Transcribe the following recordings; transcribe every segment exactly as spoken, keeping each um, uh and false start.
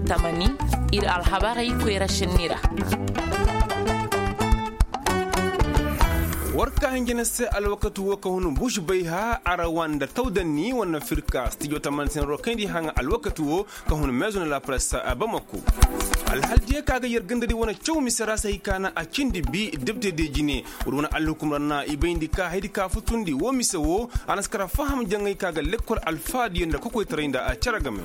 Tamani, ir alhabarey koyra šenni ra. War ka hinjina se alwakati wo ka hun buš bay ha arawa nda tawdanni wane firka stijo tamani sinaro kayndi haŋa alwakati wo ka hun maison de la presse. Bamako alhaldiyo ka ga yer gandadi wane caw mise ra se hay ka na a cindi bi depte de jine. Wala wane alhukum ra na i bayndi ka haydi ka futundi wo mise wo a na si kara faham jaŋay ka ga lekkol alfaadiyo nda kokoytaray nda a cere game.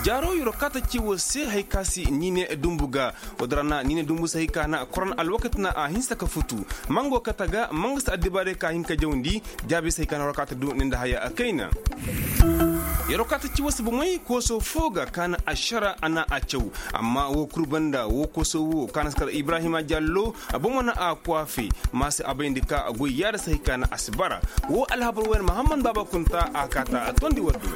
Jaaro yoro kaata ci wo se hay ka si niine dumbu ga. Wala ra na niine dumbu se hay ka na koron alwakati na a hinsa ka futu. Mango kata ga manga si addibaarey ka hin ka jawndi. Jaabi se hay ka na yoro kaata du ni nda haya a kayna. Yoro kaata ci wo se bomey kooso fo ga ka na ašara a na a caw. Amma wo kul banda wo kooso wo ka na si kar ibrahima jallo. Bomo na a kwaafe. Ma se a bayndi ka goy yaada se hay ka na a si bara. Wo alhabar wo yaŋ mahammad baaba kunta a kaata a tondi waddu.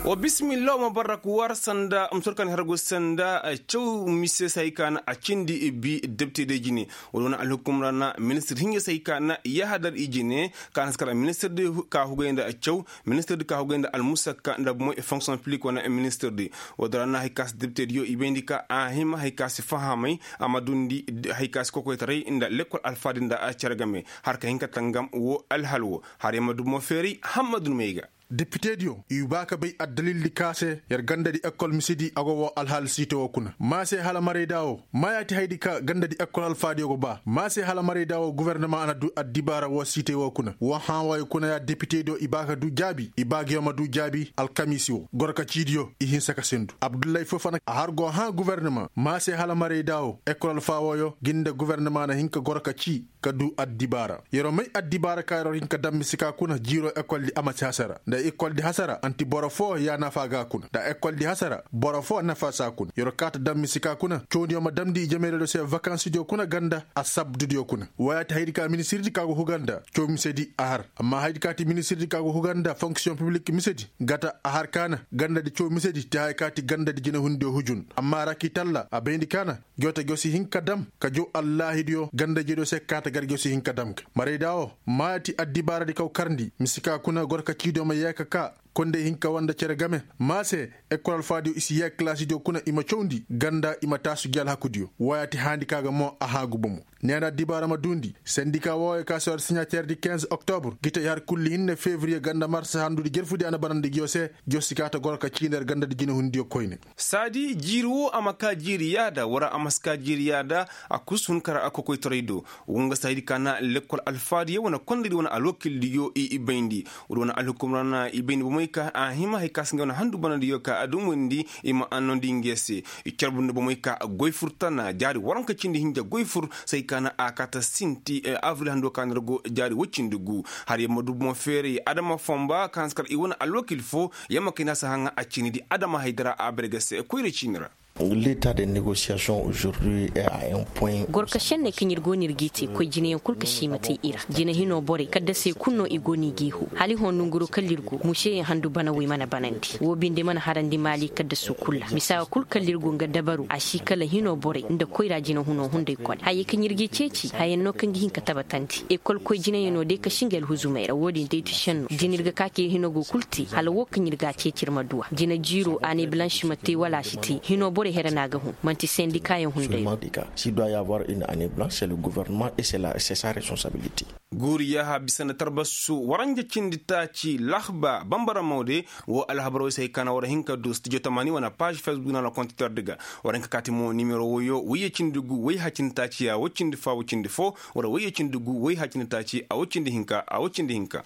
Wa bismillah wa ma barrak war sanda musur kan hargu sanda. Caw mise se hay ka na a cindi bi depte de jine. Wala wane alhukum ra na ministir hinja se hay ka na yahadar i jine. Ka na si kara ministir de ka hugay nda caw. Ministir de ka hugay nda almusakka nda bomoy fonction publik wane ministir de. Wala ra na hay ka si depte diyo i bayndi ka a hima hay ka si fahamay. A ma dundi hay ka si kokoytaray nda lekkol alfaadi nda a cere game. Har ka hin ka tangam wo alhal wo. Har ya ma du bomo feeray hammadu no may ga. Depitediyo i ba ka bay addalildi ka se yer gandadi ekkol misedi a go woo alhaal siite woo kuna ma se hala marayda woo. Maayaati haydi ka gandadi ekkol alfaadiyo go ba ma se hala marayda woo gubernama a na du addibaara woo siite woo kuna woo hãa wooyo kuna ya depitediyo i ba ka du jaabi i ba giyo ma du jaabi alkamiisi woo gorka ciidiyo i hinsa ka sendu abdullahi fofana a har go hãa gubernama ma se hala marayda woo ekkol alfaa wooyo gi nda gubernama na hin ka gorka cii ka du addibaara. Yer'o may addibaara ka yer'o hin ka dam misikaa kuna jiiroo ekoldi a ma si hasara nda ekoldi hasara anti boro foo ya nafa ga kuna nda ekoldi hasara boro foo nafa si a kuna yer'o kaa ta dam misikaa kuna cawdiyo ma damndi i jamaydiyo se vakansidiyo kuna ganda assabdudiyo kuna. Wooyaati hayadi ka ministirdi ka go huga nda caw misedi a har amma hayadi ka ti ministirdi ka go huga nda fonksiyoŋ piblik misedi gata a har ka na gandadi caw misedi te haya ka ti gandadi jinehundiyo hujun amma rakitalla a bayndi ka na joote go si hin ka dam ka jaw allaahidiyo ganda-ijediyo se kaata gar go si hin ka dam ga marayda woo maaya ti addibaaradi kaw karndi mise ka kuna gorka ciidiyo ma yee ka kaa konday hin ka wanda cere game maa se ekol alfaadiyo i si yee kalaasidiyo kuna i ma cawndi ganda i ma taasu gi alhakudiyo wooyaati haandi ka ga mo a haagu bomo. Neena addibaara ma duundi sendika wooyo ka si war siɲateerdi kinze oktobur gi tey har kulli hinne fevriye ganda mars handudi jerfudi a na banandi giyo se. Giyo si kaata gorka ciindi yer gandadi jinehundiyo koyne. Saadi jiiri woo a ma kaa jiiri yaada wara a ma si kaa jiiri yaada. A kusu hun kara a kokoytaray do. Woo nga saadi ka na lekkol alfaadiyo wane kondaydi wane alwakildiyo i bayndi. Woodi wane alhukum ra na i bayndi bomey ka a hima hay ka si nga wane handu banadiyo ka a dumandi i ma annondi nga se. I carbundi bomey ka goy fur tana jaari waranka cindi hinja goy fur. Saadi ka na a kaata sinti abril hando ka na ra go jaari woy cindi gu. Har yer ma du bomo feeray adama fonba ka na si kar i wane alwakil foo. Yer ma kay na si haŋa a ciinidi adama haydara a bare ga se koyra ciini ra. Leta de negosiyasiyoŋ ozordi e a en poy. Gorka šenney kaŋ ir go no ir g'i te koy jineyaŋ kul ka se i ma te i ra jine hinoo borey kaddasey kul no i go no i g'i hoo hala i hoo nonguroo kala ir go museyaŋ handu banawey mana banandi woo binde mana harandi maali kaddasoo kul ra misaa kul kala ir go nga dabaru a si kala hinoo borey nda koyra jinehunoo hunday kone hayey kaŋ ir g'i ceeci hayaŋ no kaŋ ga hin ka tabatandi ekol koy jineyaŋoo day ka si nga alhuzumey ra woo din day ti šenno da ir ga ka ka ir hino go kul te hala woo kaŋ ir ga a ceeci ir ma du a jine jiiroo a ne balansi ma te wala a si te hinoo borey here no a ga hun man'ti sendikaayaŋ hunday no. S'il doit y avoir une année blanche c'est le gouvernement et c'est la c'est sa responsabilité. Guuri yaaha bisa nda tarbasu waranja cindi taaci lahba bambara mawde. Woo alhabaroo se hay ka na war hin ka du studio tamaani wane paaž fesbuk na la kontitordi ga. War hin ka kaati mo nimero woyoo woyye cindi gu woy hacindi taaci a woy cindi foo a woy cindi foo. War woyye cindi gu woy hacindi taaci a woy cindi hinka a woy cindi hinka.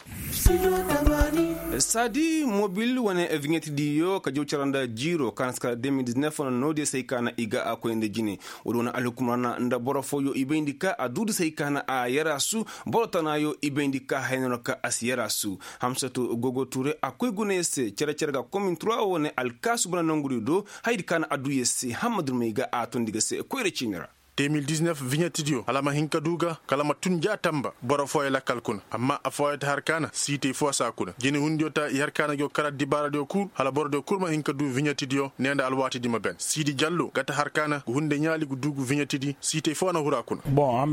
Saadi mobil wane viɲeti diyo ka jaw cara nda jiiroo ka na si kala de mil diznef wane noodiyo se hay ka na i ga a koy nda jine. Woodi wane alhukum ra na nda boro fooyo i bayndi ka a duudi se hay ka na a yaraasu. Boro tanaayo i bayndi ka haya no ra ka a si yaraasu. Hamsatu gogo tuure a koy gunayo se cere cere ga komin turuwa wane alkaasu bana nongudiyo do. Hayadi ka na a duu yer se hammadurmey ga a tondi ga se koyra ciini ra. Demil diznef viɲetidiyo hala a ma hin ka du ga kala a ma tun ja tamba boro fooyo lakkal kuna. Amma affooyo ta har ka na siitey foo saa kuna jinehundiyo ta i har ka na go kala dibaaradiyo kul hala borodiyo kul ma hin ka du viɲetidiyo nee nda alwaatidi ma ben siidi jallo ga ta har ka na ga hunday ɲaali ga du ga viɲetidi siitey foo na huru a kuna.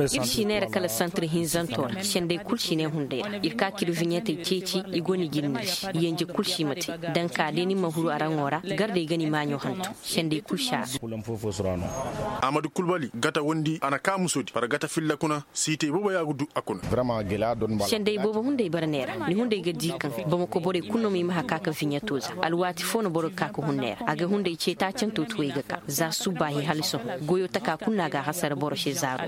Ir si neera kala santir hinzanto ra sendey kul si ne hunday ra ir ka ka ir viɲetey ceeci i go ni jirni se yenje kul si ma te. Danka day ni ma huru araŋo ra gardey ga ni maaɲo hantum sendey kul si a ra. Amadu kulbali gata wondi a na kaa musodi bara gata filla kuna siitey boobo ya ga du a kuna. Sendey boobo hunday bara neera ni hunday ga di kaŋ bamako borey kul no ma i ma haka ka viɲeto za alwaati foo no boro ga ka ka hun neera a ga hunday cee taacanto tuwey ga ka za subbaahi hala sohõ goyo taka kul no a ga a hasara boro se zaaro.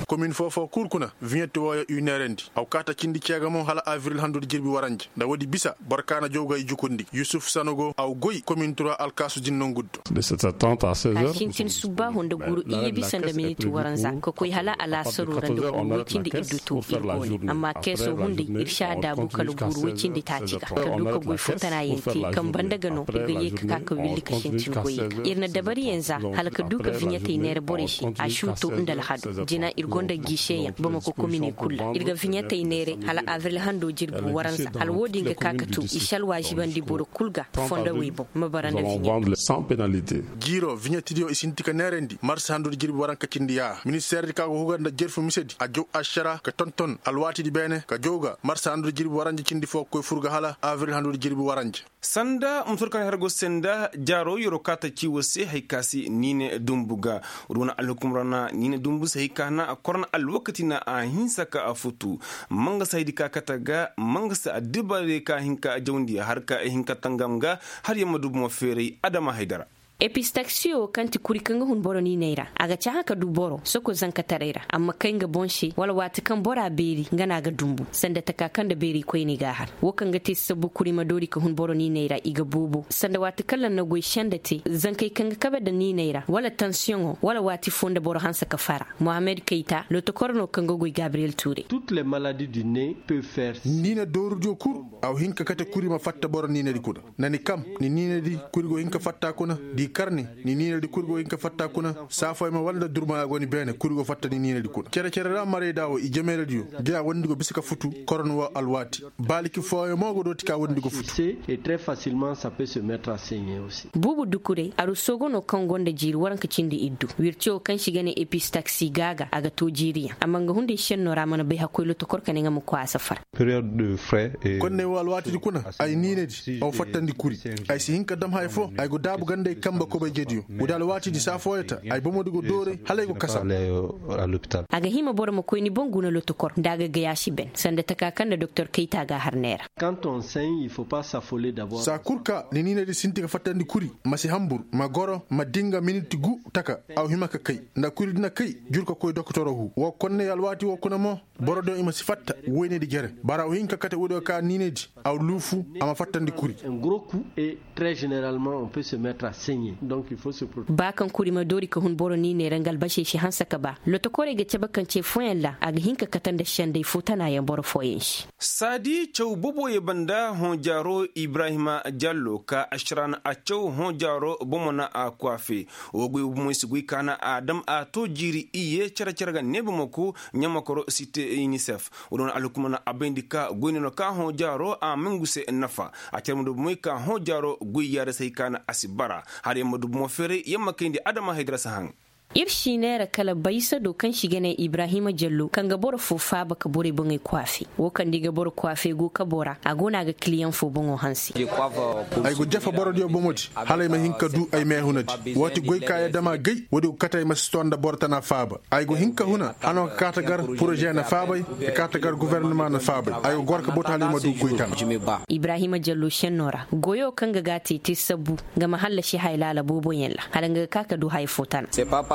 Komin foo foo kul kuna viɲeto wooyo i neerandi aw kaata cindi ceega mo hala abril handudi jirbi waranja nda woodi bisa boro ka na jaw ga i jukundi yusuf sanogo aw goy komin tura alkaasu din nongu do. A sintin subbaaho nda guru iyye bisa nda miniti waranza ka koy hala alaasaro ra nda guru woy cindi iddu to ir go ne amma keeso hunday ir si a daabu kala guru woy cindi taaci ga ka du ka goy foo tana yaŋ te kaŋ banda ga no ir ga ye ka ka ka willi ka sintin goyey ga ir na dabariyaŋ za hala ka du ka viɲetey neera borey se a si u to nda alhado jina ir gonda giiseyaŋ bamako komine kul ra ir ga viɲetey neera hala abril hando jirbi waranza hala wo- din ga ka ka to i si alwaazibandi boro kul ga fondowey boŋ ma bara nda viɲe. Jiiro viɲetidiyo i sinti ka neerandi marsa handudi jirbi waranka cindi ya ministeerdi ka go hugar nda jerfu misedi a jaw ašara ka tonton alwaatidi beene ka jaw ga marsa handudi jirbi waranja cindi foo ga koy fur ga hala abril handudi jirbi waranja. Sanda musur kaŋ har go se nda jaaro yeroo kaata ci war se hari ka se niine dumbu ga. War wane alhukum ra na niine dumbu se hari ka na korna alwakati na a hinsa ka a futu. Mangasa haydi ka kate ga mangasa addibaarey ka hin ka jawndi har ka hin ka tangam ga har yamma dubu ma feeray adama haydara. Epistaksiyo kaŋ ti kuri kaŋ ga hun boro niiney ra a ga cahã ka du boro soko zankataray ra amma kay nga boŋ se wala waati kaŋ bora beeri nga no a ga dumbu sanda taka kaŋ nda beeri koyney ga a har. Wo kaŋ ga te sabbu kuri ma doori ka hun boro niiney ra i ga boobo sanda waati kaŋ lanna goy senda te zankey kaŋ ga kabe nda niiney ra wala tansiyoŋo wala waati foo nda boro hanse ka fara. Mohammed kayta lotokor no kaŋ ga goy gabriyel tuuray. Niine doorudiyo kul a wa hin ka kate kuri ma fatta boro niinedi kuna. Na ni kam ni niinedi kuri go hin ka fatta kuna. Da i kar ni ni niinedi kuri go hin ka fatta kuna. Saafoy ma wala nda durma a go ni beene kuri go fatta ni niinedi kuna cere-cere ra marayda wo i jameeradiyo. Da ya wondi go bisa ka futu korno wo alwaati. Baaliki fooyaŋ mo go dooti ka wondi go futu. Buubu dukurey aruso go no kaŋ gonda jiiri waranka cindi iddu wirce wo kaŋ se i ga ne epistaksi gaaga a ga to jiiriyaŋ amma nga hunday senno ra mana bay hakkoy lotokor ka ne nga ma koy a safar. Konney wo alwaatidi kuna ay niinedi aw fattandi kuri. Ay si hin ka dam haya foo ay go daabu gandey kanbe kobayjediyo. Woodi alwaatidi saa fooyaŋ ta ay bomodi go dooray hala ay go kasa. A ga hima boro ma koy ni boŋ guna lotokor nda a ga gay a si ben sanda taka kaŋ nda doktor kayta ga a har neera. Saa kul ka ni niinedi sinti ka fattandi kuri ma si hanbur ma goro ma dinga miniti gu taka. Aw hima ka kay nda kuri di na kay jur ka koy dokotoro hu wo konney alwaati wo kuna mo. Borodiyo i ma si fatta woynedi jere bara aw hin ka kate woodiyo ka niinedi aw luufu a ma fattandi kuri. Ba kaŋ kuri ma doori ka hun boro niiney ra nga albasey si hanse ka ba lotokorey ga cabe kaŋ ce fooyaŋ ra a ga hin ka kate nda sendey foo tanaayaŋ boro fooyaŋ se. Saadi caw boboyey banda hõ jaaro ibrahima jallo ka ašaran a caw hõ jaaro bomo na a kwaafe. Wo goy bomoy si goy ka na a dam a to jiiri iyye care-care ga neeba mako ɲamakoro site unicef. Wo- din wane alhukumo na a bayndi ka goy no no ka hõ jaaro a ma ngu se nafa. A care ma du bomoy ka hõ jaaro goy yaada se hay ka na a si bara hala yer ma du bomo feeray yer ma kayndi adama hay dira si haŋ. Ir si neera kala baysa do kaŋ se i ga ne ibrahima jallo kaŋ ga boro fo faaba ka borey boŋey kwaafe. Wo kaŋ da i ga boro kwaafe go kabo ra a go no a ga kiliyaŋ fo boŋo hanse. Ay go jafa borodiyo bomodi hala ay ma hin ka du ay meehunadi. Waati goy ka ya dama gay woodi go kate ay ma si to nda boro tana faaba. Ay go hin ka huna hano ka kaata gar poroze na faabay ka kaata gar governema na faabay. Ay go goro ka boto hala ay ma du goy tana. Ibrahima jallo senno ra goyo kaŋ ga ga a te te sabbu nga ma hallasi haya laala booboyaŋ ra hala nga ga ka ka du haya fo tana.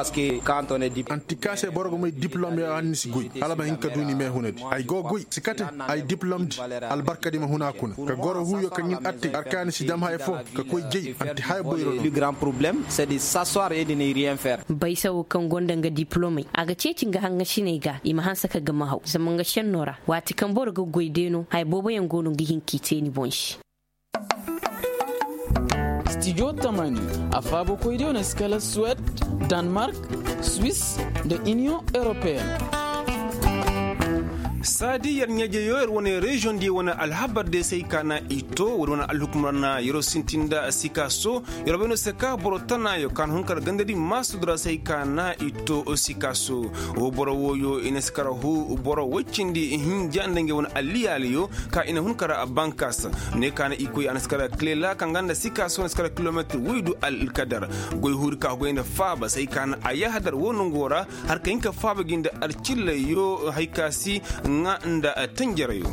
Anti ka se boro ga may diplom ya hanni si goy hala ma hin ka du ni meehunadi ay go goy si kate. Ay diplomdi albarkadi ma huna kuna ka goro huuyo kaŋ ɲin attey arkaani si dam haya fo ka koy jay anti haya boyro no. Bay sawo kaŋ gonda nga diplomey a ga ceeci nga haŋasiney ga i ma hanse ka gama haw zama nga senno ra waati kaŋ boro ga goy day no haya booboyaŋ go no ga hin k'i te ni boŋ se. Studio tamani, a faabakoydiyo na si kala suwed, danmark, swiss, nda iniyoŋ europeyen. Saadi yer ɲaajeyo yer wane reziyoŋ diyo wane alhabar diyo se ay ka na i to woodi wane alhukumar na yeroo sintin nda sikaaso. Yer bay no se ka boro tanaayo ka na hun kar gandadi maasudura se ay ka na i to sikaaso. Wo boro wooyo i na si kar huu boro woy cindi hinja nda ngey wane alliyaaliyo ka i na hun kar bankaasa. Ne ka na i koy a na si kar kilela kaŋ ga nda sikaaso na si kar kilometir woy du alkadar. Goy huuri ka goy nda faaba se ay ka na a yahadar wo nongo ra. Har ka hin ka faaba gi nda alcillayyo hay ka si ŋa nda tanjarayo.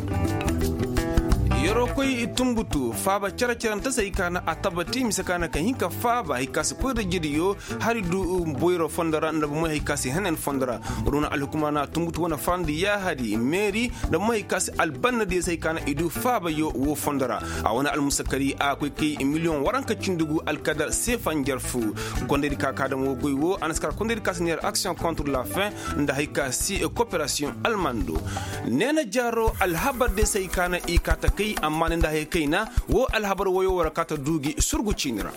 Yeroo koy tunbutu faaba care-carante se hay ka na a tabati mise ka na ka hin ka faaba hay ka si koy nda jidiyo. Hari du boyro fondo ra nda bomey hay ka si henen fondo ra. Runa alhukuma na tunbutu wane farandi yaahadi meeri nda bomey hay ka si albannadiyo se hay ka na i du faabayo wo fondo ra. A wane almusakari a koy kay miliyoŋ waranka cindi gu alkadar seefa njarfu. Kondaydi ka ka dam wo goy wo a na si kar kondaydi ka si neer action contre la fin nda hay ka si koperasiyoŋ almando. Neena jaaro alhabar de se hay ka na i kaa ta kay amma ne nda hay kayna wo alhabar woyo war kaa ta du gi surgu ciini ra.